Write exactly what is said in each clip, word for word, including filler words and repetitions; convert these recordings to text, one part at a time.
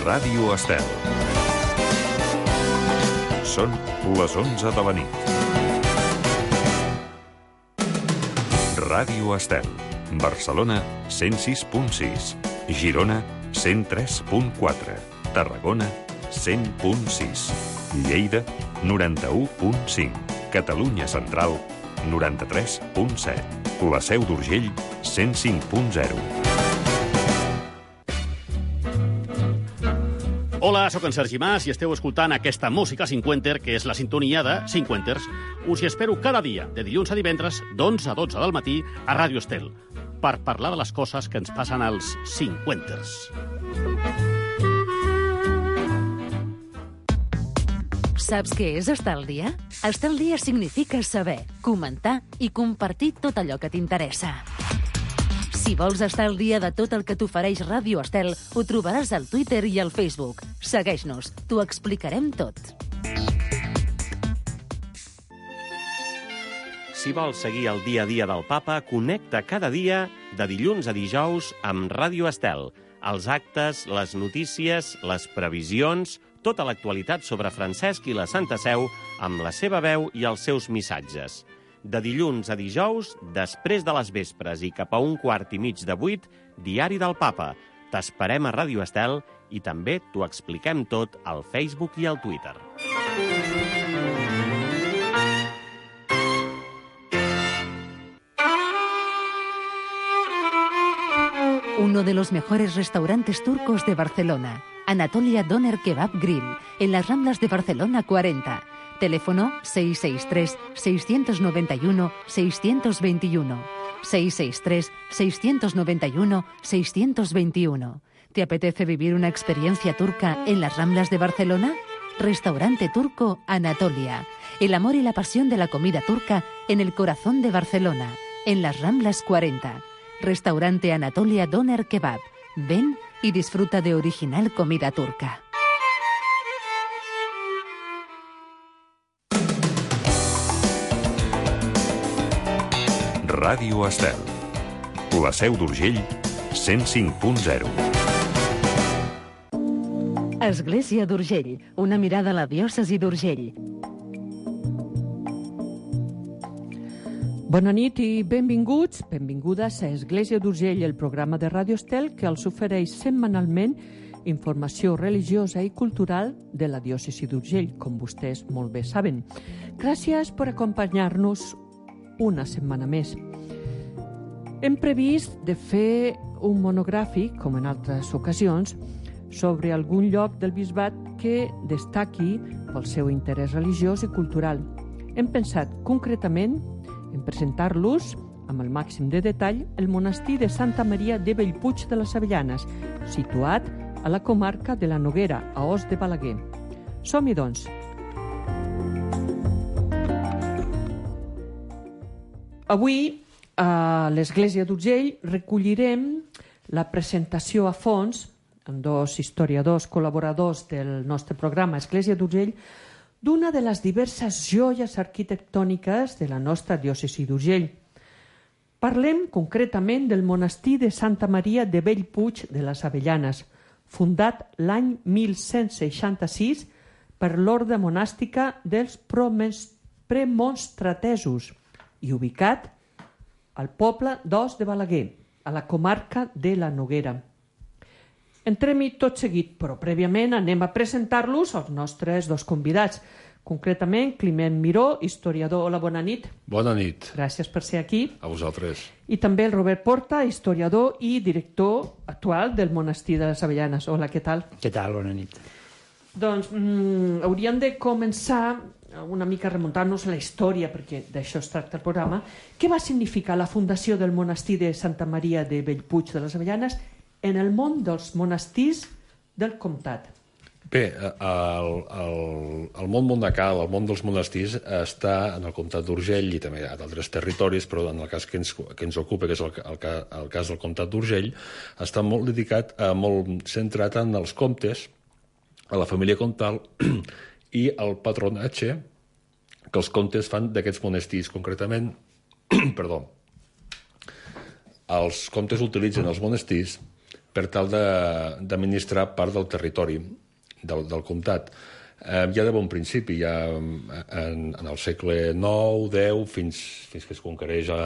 Ràdio Estel. Són les onze de la nit. Ràdio Estel. Barcelona, cent sis punt sis. Girona, cent tres punt quatre. Tarragona, cent punt sis. Lleida, noranta-u punt cinc. Catalunya Central, noranta-tres punt set. La Seu d'Urgell, cent cinc punt zero. Hola, sóc en Sergi Mas i esteu escoltant aquesta música cinquenter, que és la sintonia de Cinquenters. Us hi espero cada dia, de dilluns a divendres, d'onze a dotze del matí, a Ràdio Estel, per parlar de les coses que ens passen als cinquenters. Saps què és estar al dia? Estar al dia significa saber, comentar i compartir tot allò que t'interessa. Si vols estar al dia de tot el que t'ofereix Ràdio Estel, ho trobaràs al Twitter i al Facebook. Segueix-nos, t'ho explicarem tot. Si vols seguir el dia a dia del Papa, connecta cada dia, de dilluns a dijous, amb Ràdio Estel. Els actes, les notícies, les previsions, tota l'actualitat sobre Francesc i la Santa Seu, amb la seva veu i els seus missatges. De dilluns a dijous, després de les vespres i cap a un quart i mig de vuit, Diari del Papa. T'esperem a Ràdio Estel i també t'ho expliquem tot al Facebook i al Twitter. Uno de los mejores restaurantes turcos de Barcelona, Anatolia Doner Kebab Grill, en las Ramblas de Barcelona cuarenta. Teléfono seis seis tres, seis nueve uno, seis dos uno. seis seis tres, seis nueve uno, seis dos uno. ¿Te apetece vivir una experiencia turca en las Ramblas de Barcelona? Restaurante Turco Anatolia. El amor y la pasión de la comida turca en el corazón de Barcelona, en las Ramblas cuarenta. Restaurante Anatolia Doner Kebab. Ven y disfruta de original comida turca. Ràdio Estel. La Seu d'Urgell, cent cinc punt zero. Església d'Urgell, una mirada a la diòcesi d'Urgell. Bona nit i benvinguts, benvingudes a Església d'Urgell, el programa de Ràdio Estel que els ofereix setmanalment informació religiosa i cultural de la diòcesi d'Urgell, com vostès molt bé saben. Gràcies per acompanyar-nos una setmana més. Hem previst de fer un monogràfic, com en altres ocasions, sobre algun lloc del bisbat que destaqui pel seu interès religiós i cultural. Hem pensat concretament en presentar-los amb el màxim de detall el monestir de Santa Maria de Bellpuig de les Avellanes, situat a la comarca de la Noguera, a Os de Balaguer. Som-hi, doncs. Avui, a l'Església d'Urgell, recollirem la presentació a fons amb dos historiadors col·laboradors del nostre programa Església d'Urgell d'una de les diverses joies arquitectòniques de la nostra diòcesi d'Urgell. Parlem concretament del monestir de Santa Maria de Bellpuig de les Avellanes, fundat l'any mil cent seixanta-sis per l'orde monàstica dels premonstratesos i ubicat al poble d'Os de Balaguer, a la comarca de la Noguera. Entrem-hi tot seguit, però prèviament anem a presentar-los als nostres dos convidats. Concretament, Climent Miró, historiador. Hola, bona nit. Bona nit. Gràcies per ser aquí. A vosaltres. I també el Robert Porta, historiador i director actual del monestir de les Avellanes. Hola, què tal? Què tal? Bona nit. Doncs mm, hauríem de començar una mica remuntant-nos a la història, perquè d'això es tracta el programa. Què va significar la fundació del monestir de Santa Maria de Bellpuig de les Avellanes en el món dels monestirs del comtat? Bé, el, el, el món monacal, el món dels monestirs, està en el comtat d'Urgell i també a d'altres territoris, però en el cas que ens, que ens ocupa, que és el, el, el cas del comtat d'Urgell, està molt dedicat, eh, molt centrat en els comtes, a la família comtal i el patronatge que els comtes fan d'aquests monestirs. Concretament, perdó, els comtes utilitzen els monestirs per tal d'administrar part del territori del, del comtat. Eh, ja de bon principi, ja en, en el segle nou, deu, fins, fins que es conquereix a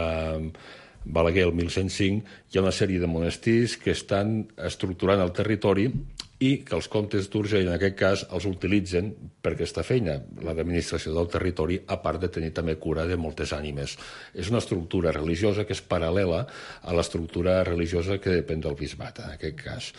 Balaguer el mil cent cinc, hi ha una sèrie de monestirs que estan estructurant el territori i que els comtes d'Urgell, en aquest cas, els utilitzen per aquesta feina, la d'administració del territori, a part de tenir també cura de moltes ànimes. És una estructura religiosa que és paral·lela a l'estructura religiosa que depèn del bisbat, en aquest cas.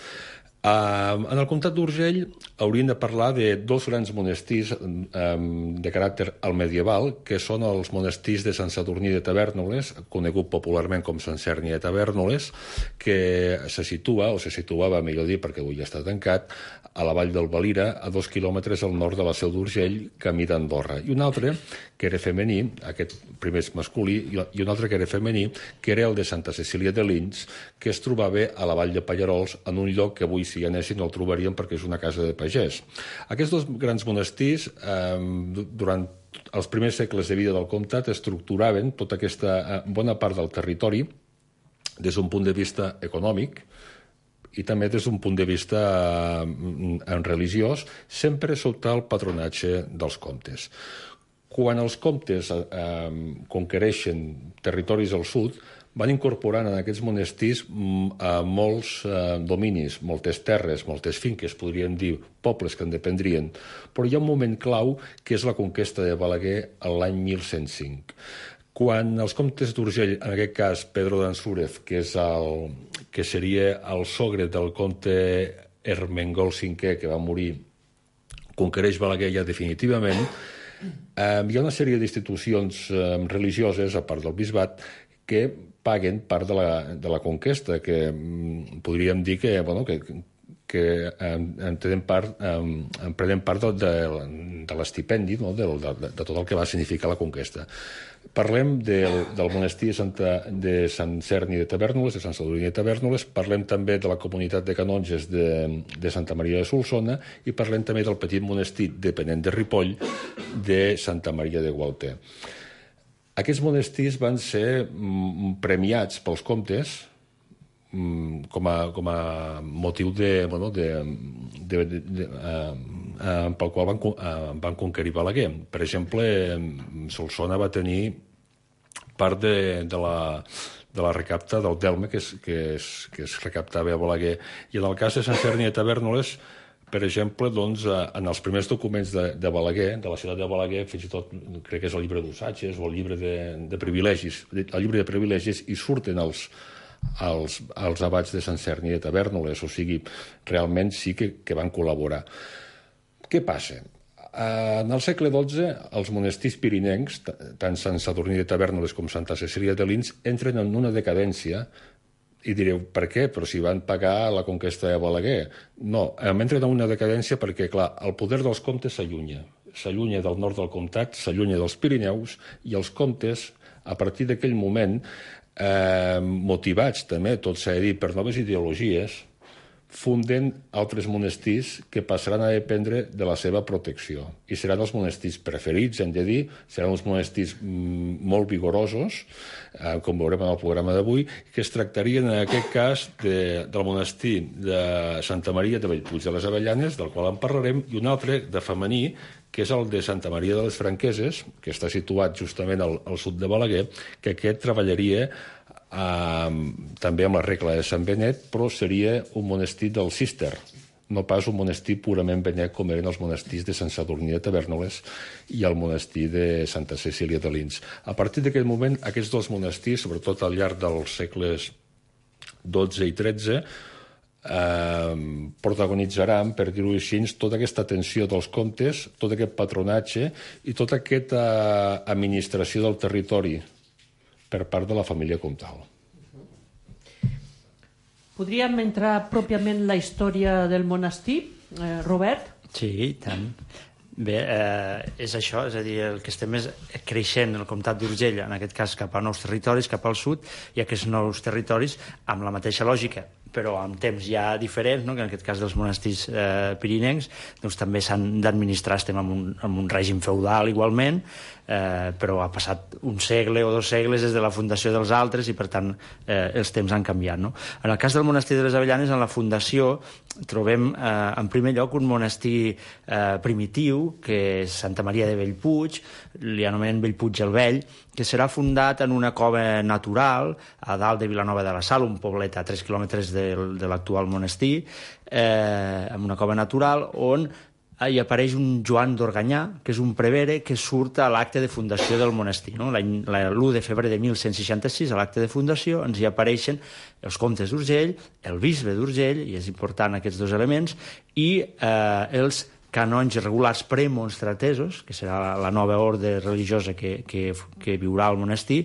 Uh, en el comtat d'Urgell hauríem de parlar de dos grans monestirs um, de caràcter almedieval, que són els monestirs de Sant Sadurní de Tavèrnoles, conegut popularment com Sant Cerni de Tavèrnoles, que se situa, o se situava, millor dir, perquè avui ja està tancat, a la vall del Valira, a dos quilòmetres al nord de la Seu d'Urgell, camí d'Andorra. I un altre, que era femení, aquest primer és masculí, i un altre que era femení, que era el de Santa Cecília de Lins, que es trobava a la vall de Pallarols, en un lloc que avui, si hi anéssim, no el trobaríem perquè és una casa de pagès. Aquests dos grans monestirs, eh, durant els primers segles de vida del comtat, estructuraven tota aquesta eh, bona part del territori des d'un punt de vista econòmic, i també des d'un punt de vista eh, religiós, sempre sota el patronatge dels comtes. Quan els comtes eh, conquereixen territoris al sud, van incorporant en aquests monestirs eh, molts eh, dominis, moltes terres, moltes finques, podríem dir pobles que en dependrien, però hi ha un moment clau que és la conquesta de Balaguer l'any mil cent cinc. Quan els comtes d'Urgell, en aquest cas Pedro d'Ansúrez, que, és el, que seria el sogre del comte Ermengol cinquè, que va morir, conquereix Balaguer ja definitivament, eh, hi ha una sèrie d'institucions eh, religioses, a part del bisbat, que paguen part de la, de la conquesta, que mm, podríem dir que, bueno, que, que en, en, tenen part, en, en prenen part de, de, de l'estipendi, no? de, de, de tot el que va significar la conquesta. Parlem del, del monestir de, Santa, de Sant Cerni de Tavèrnoles, de Sant Sadurní de Tavèrnoles, parlem també de la comunitat de canonges de, de Santa Maria de Solsona i parlem també del petit monestir depenent de Ripoll de Santa Maria de Gualter. Aquests monestirs van ser mm, premiats pels comtes mm, com, a, com a motiu de, bueno, de, de, de, de, uh, uh, pel qual van, uh, van conquerir Balaguer. Per exemple, Solsona va tenir part de, de, la, de la recapta del delme que es, que, es, que es recaptava a Balaguer. I en el cas de Sant Cerni de Tavèrnoles, per exemple, doncs, en els primers documents de, de Balaguer, de la ciutat de Balaguer, fins i tot crec que és el llibre d'ussatges o el llibre de, de privilegis, el llibre de privilegis, i surten els, els, els abats de Sant Cerni de Tavèrnoles, o sigui, realment sí que, que van col·laborar. Què passa? En el segle dotze, els monestirs pirinencs, tant Sant Sadurní de Tavèrnoles com Santa Cecília de Lins, entren en una decadència. I direu, per què? Però si van pagar la conquesta de Balaguer. No, entren en una decadència perquè, clar, el poder dels comtes s'allunya. S'allunya del nord del comtat, s'allunya dels Pirineus, i els comtes, a partir d'aquell moment, eh, motivats també, tot s'ha de dir, per noves ideologies, funden altres monestirs que passaran a dependre de la seva protecció. I seran els monestirs preferits, hem de dir, seran uns monestirs molt vigorosos, eh, com veurem en el programa d'avui, que es tractarien en aquest cas de, del monestir de Santa Maria de Bellpuig de les Avellanes, del qual en parlarem, i un altre de femení, que és el de Santa Maria de les Franqueses, que està situat justament al, al sud de Balaguer, que aquest treballaria Uh, també amb la regla de Sant Benet, però seria un monestir del Cister, no pas un monestir purament benet com eren els monestirs de Sant Sadurní de Tavèrnoles i el monestir de Santa Cecília de Lins. A partir d'aquest moment, aquests dos monestirs, sobretot al llarg dels segles dotze i tretze, eh, protagonitzaran, per dir-ho així, tota aquesta atenció dels comtes, tot aquest patronatge i tota aquesta administració del territori per part de la família comtal. Podríem entrar pròpiament en la història del monestir, eh, Robert? Sí, i tant. Bé, eh, és això, és a dir, el que estem és creixent el comtat d'Urgell, en aquest cas cap a nous territoris, cap al sud, i aquests nous territoris, amb la mateixa lògica, però amb temps ja diferents, no? Que en aquest cas dels monestirs eh, pirinencs, doncs també s'han d'administrar, estem en un, en un règim feudal igualment, eh, però ha passat un segle o dos segles des de la fundació dels altres i per tant eh, els temps han canviat, no? En el cas del monestir de les Avellanes, en la fundació trobem eh, en primer lloc un monestir eh, primitiu, que és Santa Maria de Bellpuig, li anomenen Bellpuig el Vell, que serà fundat en una cova natural a dalt de Vilanova de la Sal, un poblet a tres quilòmetres de, de l'actual monestir, eh, en una cova natural on hi apareix un Joan d'Organyà, que és un prevere que surt a l'acte de fundació del monestir. No? l'u de febrer de mil cent seixanta-sis, a l'acte de fundació, ens hi apareixen els comtes d'Urgell, el bisbe d'Urgell, i és important aquests dos elements, i eh, els canonges regulars premonstratesos, que serà la, la nova ordre religiosa que, que, que viurà al monestir,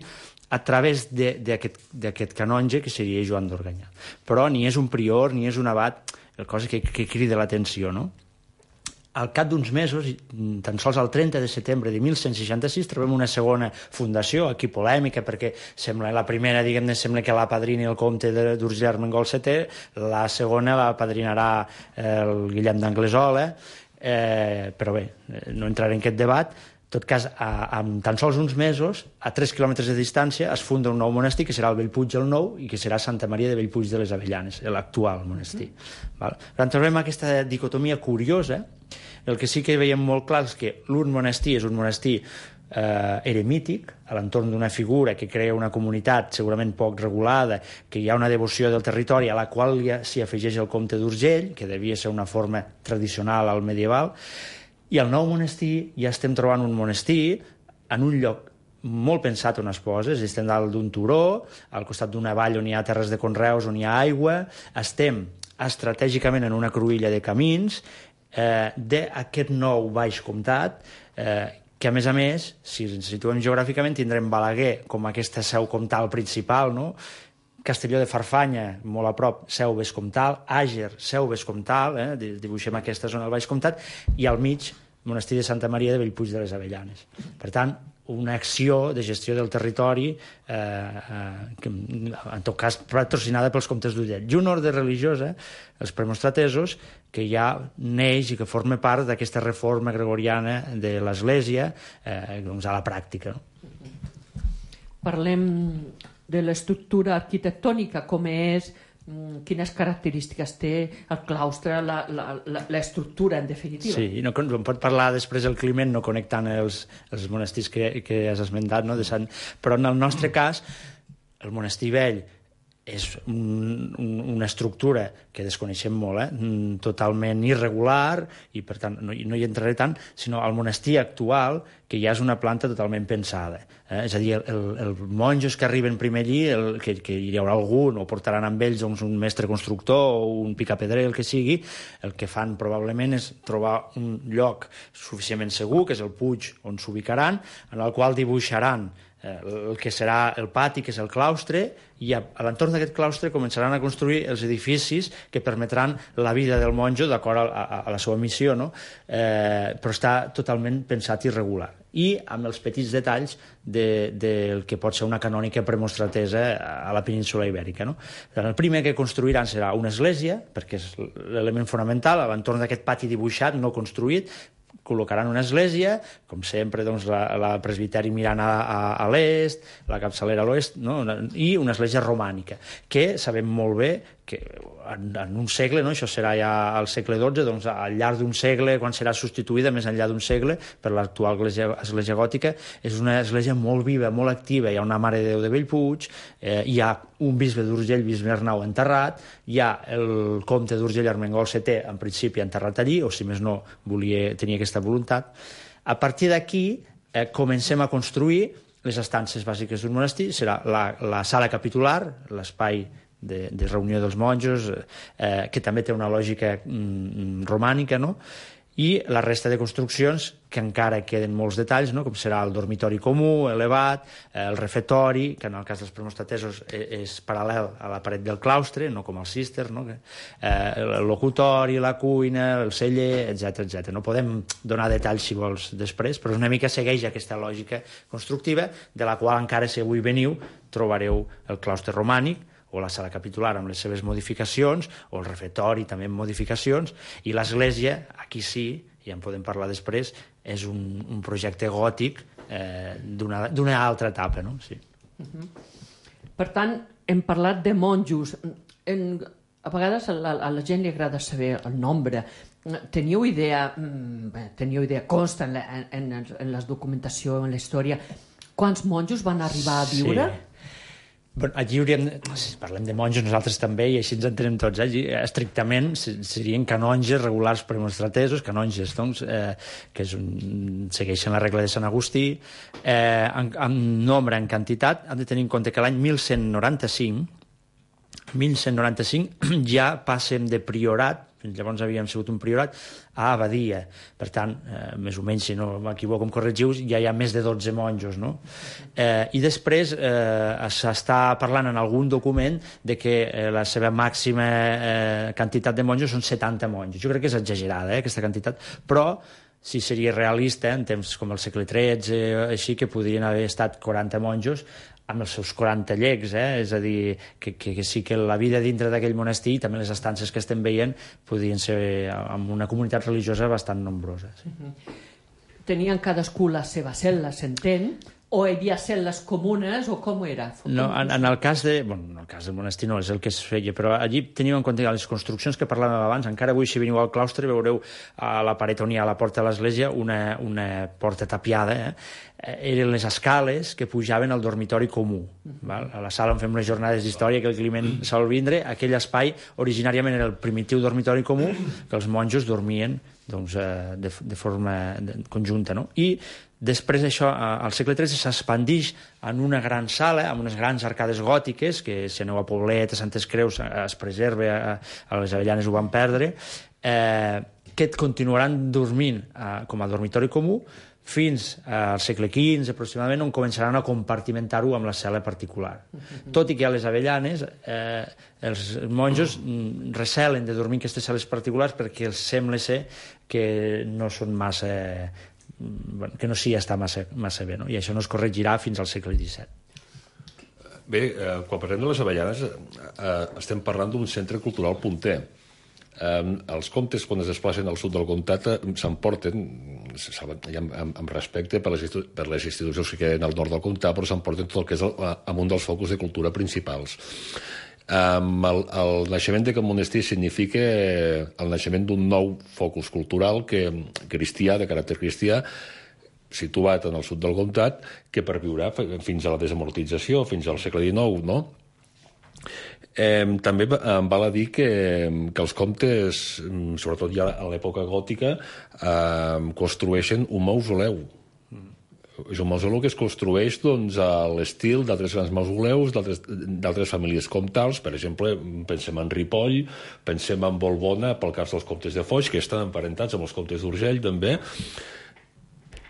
a través d'aquest canonge, que seria Joan d'Organyà. Però ni és un prior, ni és un abat, el cosa que, que crida l'atenció, no? Al cap d'uns mesos, tan sols el trenta de setembre de mil cent seixanta-sis, trobem una segona fundació, aquí polèmica, perquè sembla la primera, diguem-ne, sembla que la padrini el comte d'Urgell Armengol setè, la segona la padrinarà el Guillem d'Anglesola, eh, però bé, no entraré en aquest debat. En tot cas, a, amb tan sols uns mesos, a tres quilòmetres de distància, es funda un nou monestir, que serà el Bellpuig el Nou, i que serà Santa Maria de Bellpuig de les Avellanes, l'actual monestir. Mm. Val? Per tant, trobem aquesta dicotomia curiosa. El que sí que veiem molt clar és que l'un monestir és un monestir eh, eremític, a l'entorn d'una figura que crea una comunitat segurament poc regulada, que hi ha una devoció del territori a la qual ja s'hi afegeix el comte d'Urgell, que devia ser una forma tradicional al medieval, i al nou monestir ja estem trobant un monestir en un lloc molt pensat on es posa, estem dalt d'un turó, al costat d'una vall on hi ha terres de conreus, on hi ha aigua, estem estratègicament en una cruïlla de camins eh, d'aquest nou baix comtat, eh, que a més a més, si ens situem geogràficament, tindrem Balaguer com aquesta seu comtal principal, no? Castelló de Farfanya, molt a prop, seu vescomtal, Àger, seu vescomtal, eh? Dibuixem aquesta zona del Baix Comtat, i al mig, monestir de Santa Maria de Bellpuig de les Avellanes. Per tant, una acció de gestió del territori, eh, eh, que, en tot cas patrocinada pels comtes d'Urgell. I una ordre religiosa, els premonstratesos, que ja neix i que forma part d'aquesta reforma gregoriana de l'Església eh, doncs a la pràctica. No? Parlem de l'estructura arquitectònica, com és, quines característiques té el claustre, l'estructura, en definitiva. Sí, no, en pot parlar després el Climent, no connectant els, els monestirs que, que has esmentat, no? De Sant... però en el nostre cas, el monestir vell és un, un, una estructura que desconeixem molt, eh? Totalment irregular, i per tant no, no hi entraré tant, sinó el monestir actual, que ja és una planta totalment pensada. Eh? És a dir, el, el monjos que arriben primer allí, el, que, que hi haurà algun, o portaran amb ells doncs, un mestre constructor o un picapedrer, el que sigui, el que fan probablement és trobar un lloc suficientment segur, que és el puig on s'ubicaran, en el qual dibuixaran el que serà el pati, que és el claustre, i a, a l'entorn d'aquest claustre començaran a construir els edificis que permetran la vida del monjo d'acord a, a, a la seva missió, no? eh, però està totalment pensat i regular. I amb els petits detalls de, del que pot ser una canònica premonstratesa a la península ibèrica. No? El primer que construiran serà una església, perquè és l'element fonamental, a l'entorn d'aquest pati dibuixat, no construït, col·locaran una església, com sempre, doncs, la, la presbiteri mirant a, a, a l'est, la capçalera a l'oest, no? I una església romànica, que sabem molt bé que en, en un segle, no? Això serà ja al segle dotze, doncs al llarg d'un segle, quan serà substituïda més enllà d'un segle per l'actual església, església gòtica, és una església molt viva, molt activa. Hi ha una Mare de Déu de Bellpuig, eh, hi ha un bisbe d'Urgell, bisbe Arnau, enterrat, hi ha el comte d'Urgell Armengol setè, en principi enterrat allí, o si més no volia tenir aquesta voluntat. A partir d'aquí eh, comencem a construir les estances bàsiques d'un monestir. Serà la, la sala capitular, l'espai de, de reunió dels monjos, eh, que també té una lògica mm, romànica, no? I la resta de construccions, que encara queden molts detalls, no? Com serà el dormitori comú, elevat, el refectori, que en el cas dels premonstratesos és paral·lel a la paret del claustre, no com el cister, no? eh, el locutori, la cuina, el celler, etcètera etcètera. No podem donar detalls, si vols, després, però una mica segueix aquesta lògica constructiva, de la qual encara, si avui veniu, trobareu el claustre romànic, o la sala capitular amb les seves modificacions, o el refectori també amb modificacions, i l'església, aquí sí, ja en podem parlar després, és un, un projecte gòtic eh, d'una altra etapa, no? Sí. Uh-huh. Per tant, hem parlat de monjos. En, a vegades a la, a la gent li agrada saber el nombre. Teniu idea, bé, teniu idea, consta en la, en, en la documentació, en la història, quants monjos van arribar a viure? Sí. Bueno, allí hauríem... Si parlem de monjos, nosaltres també, i així ens entenem tots. Eh? Allí, estrictament, serien canonges regulars premonstratesos, canonges, doncs, eh, que és un, segueixen la regla de Sant Agustí. Eh, en, en nombre, en quantitat, hem de tenir en compte que l'any mil cent noranta-cinc ja passem de priorat, fins llavors havíem sigut un priorat, a abadia. Per tant, eh, més o menys, si no m'equivoco, em corregiu, ja hi ha més de dotze monjos, no? Eh, I després eh, s'està parlant en algun document de que eh, la seva màxima eh, quantitat de monjos són setanta monjos. Jo crec que és exagerada, eh, aquesta quantitat, però si seria realista, en temps com el segle tretze, així, que podrien haver estat quaranta monjos, amb els seus quaranta llecs, eh? És a dir, que, que, que sí que la vida dintre d'aquell monestir i també les estances que estem veient podrien ser amb una comunitat religiosa bastant nombrosa. Sí. Uh-huh. Tenien cadascú la seva cel·la, s'entén? O hi havia cel·les comunes, o com era? No, en, en el cas de... Bueno, en el cas del monestir no és el que es feia, però allí teníem en compte les construccions que parlàvem abans. Encara avui, si veniu al claustre, veureu a la paret on hi ha la porta de l'església una, una porta tapiada, eh? Eren les escales que pujaven al dormitori comú. Val? A la sala on fem les jornades d'història, que el Climent sol vindre, aquell espai originàriament era el primitiu dormitori comú, que els monjos dormien doncs, de, de forma conjunta. No? I després això, al segle tretze, s'expandix en una gran sala, amb unes grans arcades gòtiques, que si aneu a Poblet, a Santes Creus, es preserva, a les Avellanes ho van perdre, eh, que continuaran dormint eh, com a dormitori comú, fins al segle quinze, aproximadament, on començaran a compartimentar-ho amb la cel·la particular. Uh-huh. Tot i que a les Avellanes eh, els monjos recelen de dormir en aquestes cel·les particulars perquè els sembla ser que no són massa... que no s'hi està massa, massa bé, no? I això no es corregirà fins al segle disset. Bé, eh, quan parlem de les Avellanes eh, estem parlant d'un centre cultural punter. Eh, els comtes, quan es desplacen al sud del comtat, s'emporten, amb, amb respecte per les, per les institucions que queden al nord del comtat, però s'emporten tot el que és el, amb un dels focus de cultura principals. Um, el, el naixement d'aquest monestir significa el naixement d'un nou focus cultural que, cristià, de caràcter cristià, situat en el sud del comtat, que perviurà fins a la desamortització, fins al segle dinou, no? Eh, també em val a dir que, que els comtes, sobretot ja a l'època gòtica, eh, construeixen un mausoleu. És un mausoleu que es construeix doncs, a l'estil d'altres grans mausoleus, d'altres famílies comtals. Per exemple, pensem en Ripoll, pensem en Bolbona, pel cas dels comtes de Foix, que estan emparentats amb els comtes d'Urgell, també.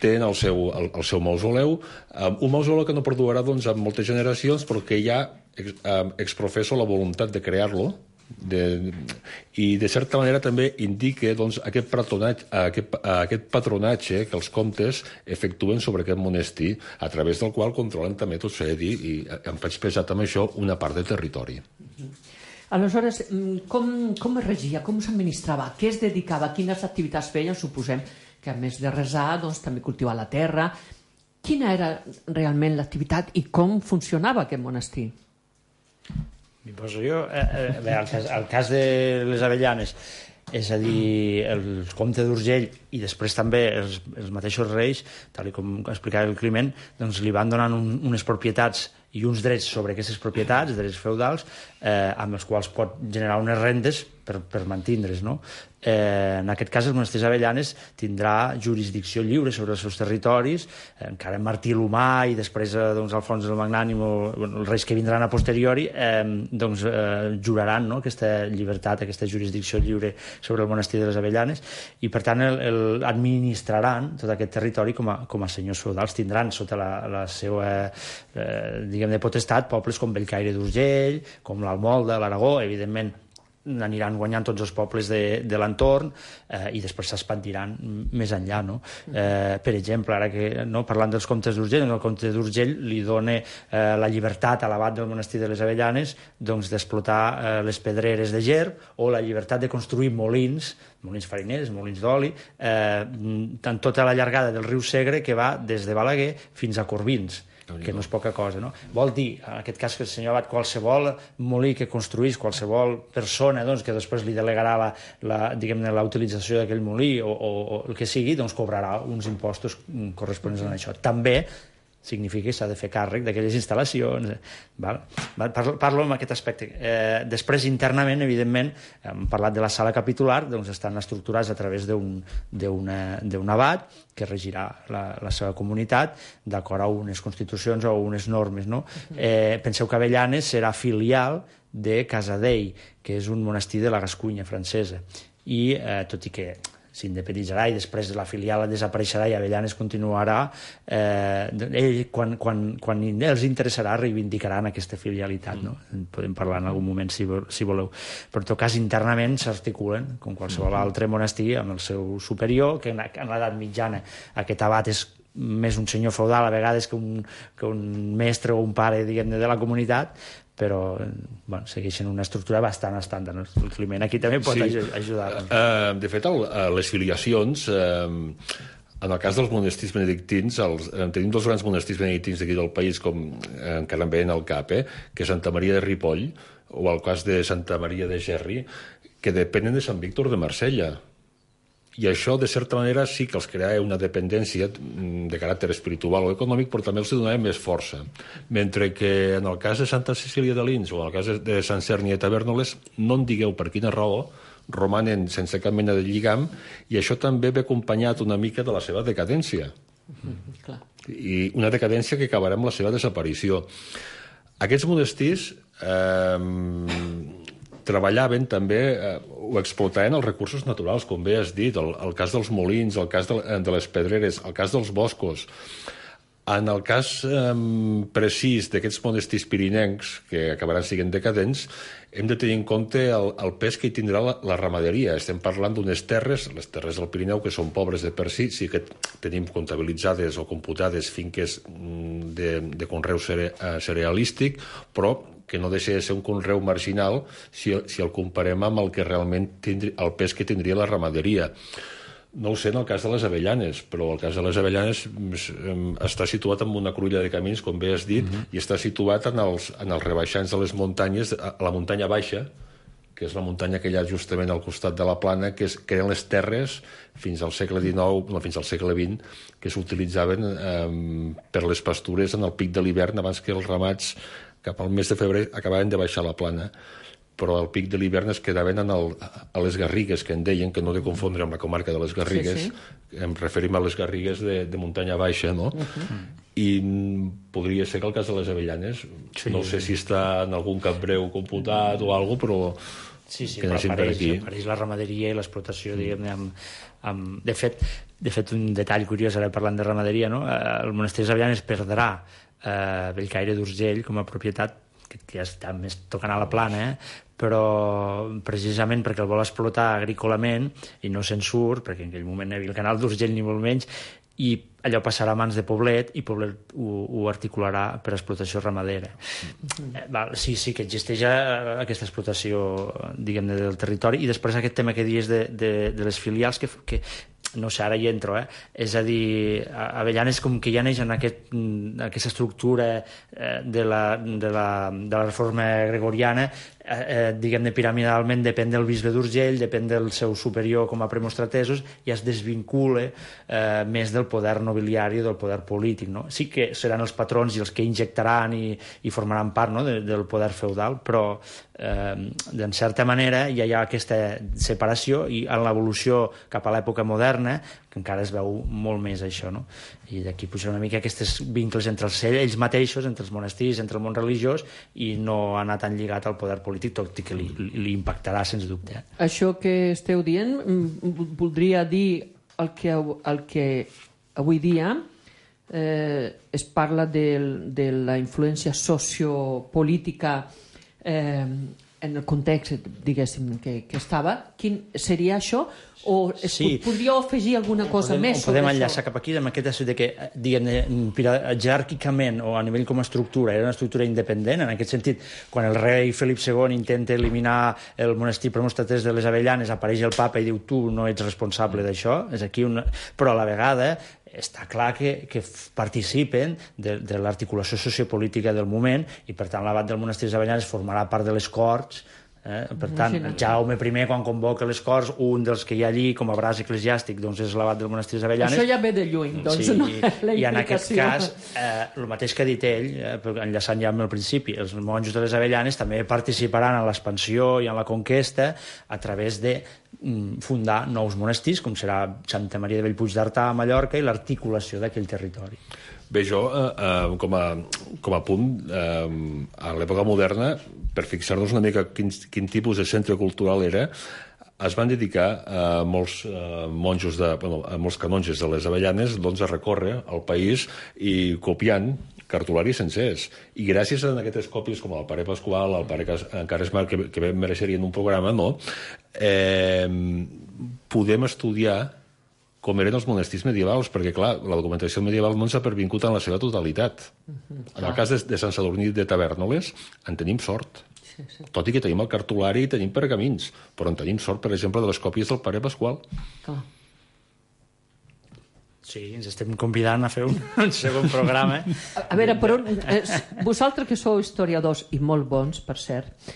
Tenen el seu, el, el seu mausoleu, um, un mausoleu que no perdurarà doncs, en moltes generacions, perquè ja ex, um, exprofesso la voluntat de crear-lo, de, i de certa manera també indica doncs, aquest, patronatge, aquest, aquest patronatge que els comtes efectuen sobre aquest monestir, a través del qual controlen també, tot s'ha de dir, i em faig pesar també això, una part de territori. Aleshores, com, com es regia, com s'administrava, què es dedicava, quines activitats feien, suposem que a més de resar, doncs, també cultivar la terra. Quina era realment l'activitat i com funcionava aquest monestir? M'hi poso jo. Eh, bé, el, cas, el cas de les Avellanes, és a dir, el comte d'Urgell i després també els, els mateixos reis, tal com explicava el Climent, doncs li van donant un, unes propietats i uns drets sobre aquestes propietats, drets feudals, eh, amb els quals pot generar unes rendes per, per mantindre's, no? Eh, en aquest cas, el monestir d'Avellanes tindrà jurisdicció lliure sobre els seus territoris, eh, encara Martí l'Humà i després eh, doncs, Alfons el Magnànim o bueno, els reis que vindran a posteriori eh, doncs, eh, juraran, no?, aquesta llibertat, aquesta jurisdicció lliure sobre el monestir de les Avellanes, i per tant el, el, administraran tot aquest territori com a, com a senyors feudals. Tindran sota la, la seva eh, diguem de potestat pobles com Bellcaire d'Urgell, com l'Almolda, l'Aragó, evidentment aniran guanyant tots els pobles de, de l'entorn eh, i després s'expandiran més enllà, no? Eh, per exemple, ara que no, parlant dels comtes d'Urgell, el comte d'Urgell li dona eh, la llibertat a l'abat del monestir de les Avellanes doncs, d'explotar eh, les pedreres de Gerb, o la llibertat de construir molins, molins fariners, molins d'oli, eh, en tota la llargada del riu Segre, que va des de Balaguer fins a Corbins, que no és poca cosa, no? Vol dir, en aquest cas, que el senyor abat, qualsevol molí que construís, qualsevol persona doncs, que després li delegarà la, la, diguem-ne, la utilització d'aquell molí o, o, o el que sigui, doncs cobrarà uns impostos corresponents a això. També significa que s'ha de fer càrrec d'aquelles instal·lacions. Val? Parlo, parlo en aquest aspecte. Eh, després, internament, evidentment, hem parlat de la sala capitular, doncs estan estructurats a través d'un abat que regirà la, la seva comunitat d'acord a unes constitucions o unes normes. No? Eh, penseu que Avellanes serà filial de Casadei, que és un monestir de la Gascunya francesa. I, eh, tot i que s'independitzarà i després la filial desapareixerà i Avellanes continuarà, eh, ell, quan, quan, quan els interessarà, reivindicaran aquesta filialitat. No? En podem parlar en algun moment, si, si voleu. Però en tot cas, internament s'articulen, com qualsevol altre monestir, amb el seu superior, que en, en l'edat mitjana aquest abat és més un senyor feudal a vegades que un, que un mestre o un pare, diguem-ne, de la comunitat, però bueno, segueixen una estructura bastant estàndard. El Climent aquí també pot sí. ajudar. Uh, de fet, el, les filiacions, uh, en el cas dels monestirs benedictins, els, tenim dos grans monestirs benedictins d'aquí del país, com eh, encara em veien al cap, eh, que és Santa Maria de Ripoll, o el cas de Santa Maria de Gerri, que depenen de Sant Víctor de Marsella. I això, de certa manera, sí que els crea una dependència de caràcter espiritual o econòmic, però també els donava més força. Mentre que en el cas de Santa Cecília de Lins o en el cas de Sant Cerni de Tavèrnoles, no en digueu per quina raó, romanen sense cap mena de lligam, i això també ve acompanyat una mica de la seva decadència. Mm, clar. I una decadència que acabarà amb la seva desaparició. Aquests monestirs eh, treballaven també, eh, o explotaven els recursos naturals, com bé has dit, el, el cas dels molins, el cas de, de les pedreres, el cas dels boscos. En el cas eh, precís d'aquests monestirs pirinencs, que acabaran sent decadents, hem de tenir en compte el, el pes que hi tindrà la, la ramaderia. Estem parlant d'unes terres, les terres del Pirineu, que són pobres de per si, sí que tenim comptabilitzades o computades finques de, de conreu cere, cerealístic, però que no deixa de ser un conreu marginal si, si el comparem amb el que realment tindri, el pes que tindria la ramaderia. No ho sé en el cas de les Avellanes, però el cas de les Avellanes està situat en una cruïlla de camins, com bé has dit, uh-huh. i està situat en els, en els rebaixants de les muntanyes, a la muntanya baixa, que és la muntanya que hi ha justament al costat de la plana, que, és, que eren les terres fins al segle dinou, no, fins al segle vint, que s'utilitzaven eh, per les pastures en el pic de l'hivern, abans que els ramats cap al mes de febrer acabaven de baixar la plana, però al pic de l'hivern es quedaven en el, a les Garrigues, que en deien, que no de confondre amb la comarca de les Garrigues, sí, sí. Em referim a les Garrigues de, de muntanya baixa, no? Uh-huh. I podria ser que el cas de les Avellanes, sí. No sé si està en algun capbreu computat o alguna cosa, però sí, sí, però apareix, apareix la ramaderia i l'explotació, mm. diguem-ne, amb, amb... De fet, de fet, un detall curiós, ara parlant de ramaderia, no? El monestir de Avellanes perdrà eh, Bellcaire d'Urgell com a propietat, que ja està més tocant a la plana, eh? Però precisament perquè el vol explotar agrícolament i no se'n surt, perquè en aquell moment no hi havia el canal d'Urgell ni molt menys, i allò passarà a mans de Poblet i Poblet ho, ho articularà per explotació ramadera. Mm. Eh, val, sí, sí que existeix aquesta explotació, diguem-ne, del territori, i després aquest tema que dius de, de, de les filials, que, que no sé, ara hi entro, eh? És a dir, Avellanes com que ja neix en aquest, aquesta estructura eh, de, la, de, la, de la reforma gregoriana, eh, eh, diguem-ne, piramidalment depèn del bisbe d'Urgell, depèn del seu superior com a premostratesos, i es desvincula eh, més del poder nobiliari o del poder polític, no? Sí que seran els patrons i els que injectaran i, i formaran part, no?, de, del poder feudal, però eh, en certa manera ja hi ha aquesta separació, i en l'evolució cap a l'època moderna que encara es veu molt més això, no? I d'aquí puja una mica aquests vincles entre els, ells mateixos, entre els monestirs, entre el món religiós, i no anar tan lligat al poder polític, tot i que li, li impactarà, sens dubte. Això que esteu dient voldria dir el que, el que avui dia eh, es parla de, de la influència sociopolítica eh, en el context, diguéssim, que, que estava, quin seria això? O es, Sí. podríeu afegir alguna cosa podem, més podem sobre enllaçar això? cap aquí amb aquest aspecte que, diguem, jeràrquicament o a nivell com a estructura era una estructura independent. En aquest sentit, quan el rei Felip segon intenta eliminar el monestir premonstratés de les Avellanes, apareix el papa i diu tu no ets responsable d'això. És aquí una... Però a la vegada està clar que, que participen de, de l'articulació sociopolítica del moment i, per tant, l'abat del monestir de les Avellanes formarà part de les Corts. Eh? Per tant, Imagina't. Jaume I, quan convoca les Corts, un dels que hi ha allí com a braç eclesiàstic doncs és l'abat del monestir de les Avellanes. Això ja ve de lluny, doncs, sí, no? La i en aquest implicació. cas, eh, el mateix que ha dit ell, eh, enllaçant ja amb el principi, els monjos de les Avellanes també participaran en l'expansió i en la conquesta a través de mm, fundar nous monestirs, com serà Santa Maria de Bellpuig d'Artà a Mallorca i l'articulació d'aquell territori. Bé, jo, eh, eh, com, a, com a punt, eh, a l'època moderna, per fixar-nos una mica quin, quin tipus de centre cultural era, es van dedicar a molts eh, monjos, de, bueno, a molts canonges de les Avellanes doncs, a recórrer el país i copiant cartularis sencers. I gràcies a aquestes còpies, com el pare Pasqual, el pare Caresmar, que, que mereixerien un programa, no? eh, podem estudiar com eren els monestirs medievals, perquè, clar, la documentació medieval no ens ha pervingut en la seva totalitat. Uh-huh, en el cas de, de Sant Sadurní de Tavèrnoles, en tenim sort. Sí, sí. Tot i que tenim el cartulari i tenim pergamins, però en tenim sort, per exemple, de les còpies del pare Pasqual. Clar. Sí, ens estem convidant a fer un, un segon programa. A, a veure, però, eh, vosaltres que sou historiadors, i molt bons, per cert,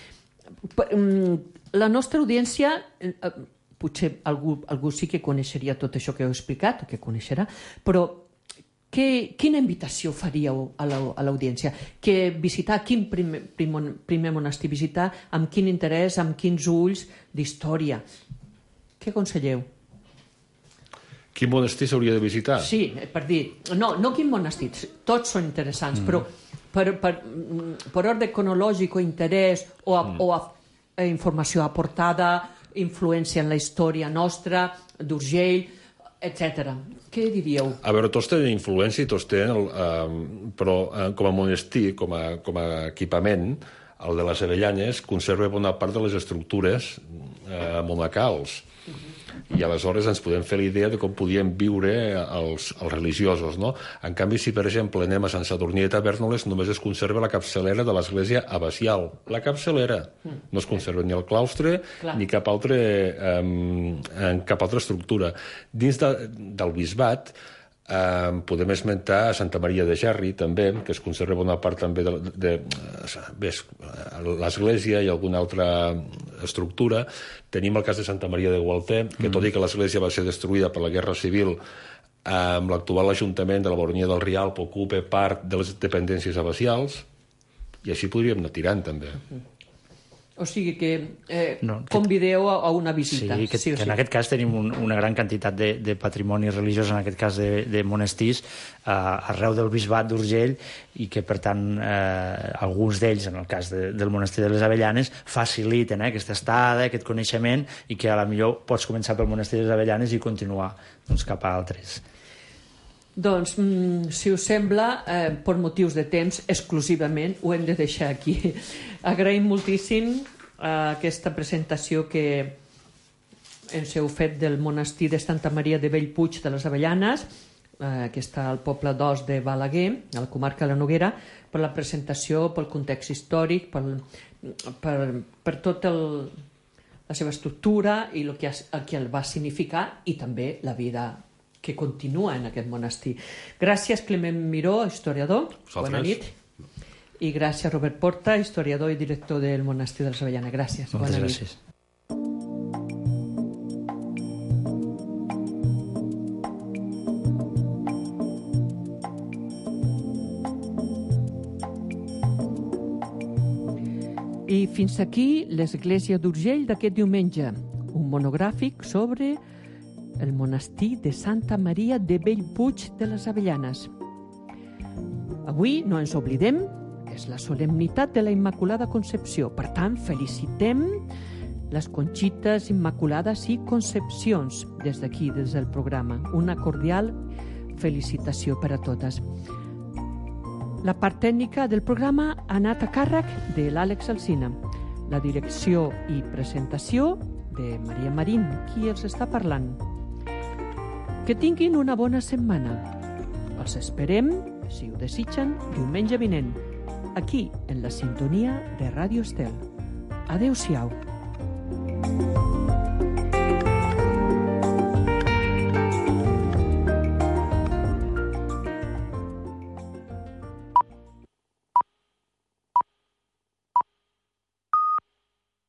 per, mm, la nostra audiència... Eh, potser algú, algú sí que coneixeria tot això que heu explicat, o que coneixerà, però que, quina invitació faríeu a l'audiència? Que visitar, quin primer, primer, primer monestir visitar, amb quin interès, amb quins ulls d'història? Què aconselleu? Quin monestir s'hauria de visitar? Sí, per dir, no, no quin monestir, tots són interessants, mm. però per, per, per ordre cronològic o interès o, a, mm. o a, a informació aportada, influència en la història nostra, d'Urgell, etcètera. Què diríeu? A veure, tots tenen influència i tots tenen, el, eh, però eh, com a monestir, com a, com a equipament, el de les Avellanes conserva bona part de les estructures eh, monacals. Uh-huh. I aleshores ens podem fer la idea de com podien viure els, els religiosos, no? En canvi, si per exemple anem a Sant Sadurní de Tavèrnoles, només es conserva la capçalera de l'església abacial. La capçalera. No es conserva ni el claustre Clar. ni cap, altre, eh, cap altra estructura. Dins de, del bisbat eh, podem esmentar a Santa Maria de Gerri, també, que es conserva bona part també de, de, de l'església i alguna altra estructura. Tenim el cas de Santa Maria de Gualter, que tot i que l'església va ser destruïda per la Guerra Civil, amb l'actual Ajuntament de la Baronia del Rialp ocupa part de les dependències abacials, i així podríem anar tirant, també. O sigui que eh, no, que, convideu a, a una visita. Sí, que, sí, que sí. en aquest cas tenim un, una gran quantitat de, de patrimoni religiós, en aquest cas de, de monestirs, eh, arreu del bisbat d'Urgell, i que, per tant, eh, alguns d'ells, en el cas de, del monestir de les Avellanes, faciliten eh, aquesta estada, aquest coneixement, i que a la millor pots començar pel monestir de les Avellanes i continuar doncs, cap a altres. Doncs, mm, si us sembla, eh, per motius de temps, exclusivament, ho hem de deixar aquí. Agraïm moltíssim eh, aquesta presentació que ens heu fet del monestir de Santa Maria de Bellpuig de les Avellanes, eh, que està al poble d'Os de Balaguer, a la comarca de la Noguera, per la presentació, pel context històric, per, per, per tot el, la seva estructura i el que, el que el va significar, i també la vida que continua en aquest monestir. Gràcies, Clement Miró, historiador. Vosaltres. Bona nit. I gràcies, Robert Porta, historiador i director del monestir de les Avellanes. Gràcies. Moltes Bona gràcies. Nit. I fins aquí l'Església d'Urgell d'aquest diumenge, un monogràfic sobre el monestir de Santa Maria de Bellpuig de les Avellanes. Avui no ens oblidem que és la solemnitat de la Immaculada Concepció. Per tant, felicitem les Conxites Immaculades i Concepcions des d'aquí, des del programa. Una cordial felicitació per a totes. La part tècnica del programa ha anat a càrrec de l'Àlex Alsina. La direcció i presentació de Maria Marín, qui els està parlant. Que tinguin una bona setmana. Els esperem, si ho desitgen, diumenge vinent, aquí, en la sintonia de Ràdio Estel. Adéu-siau.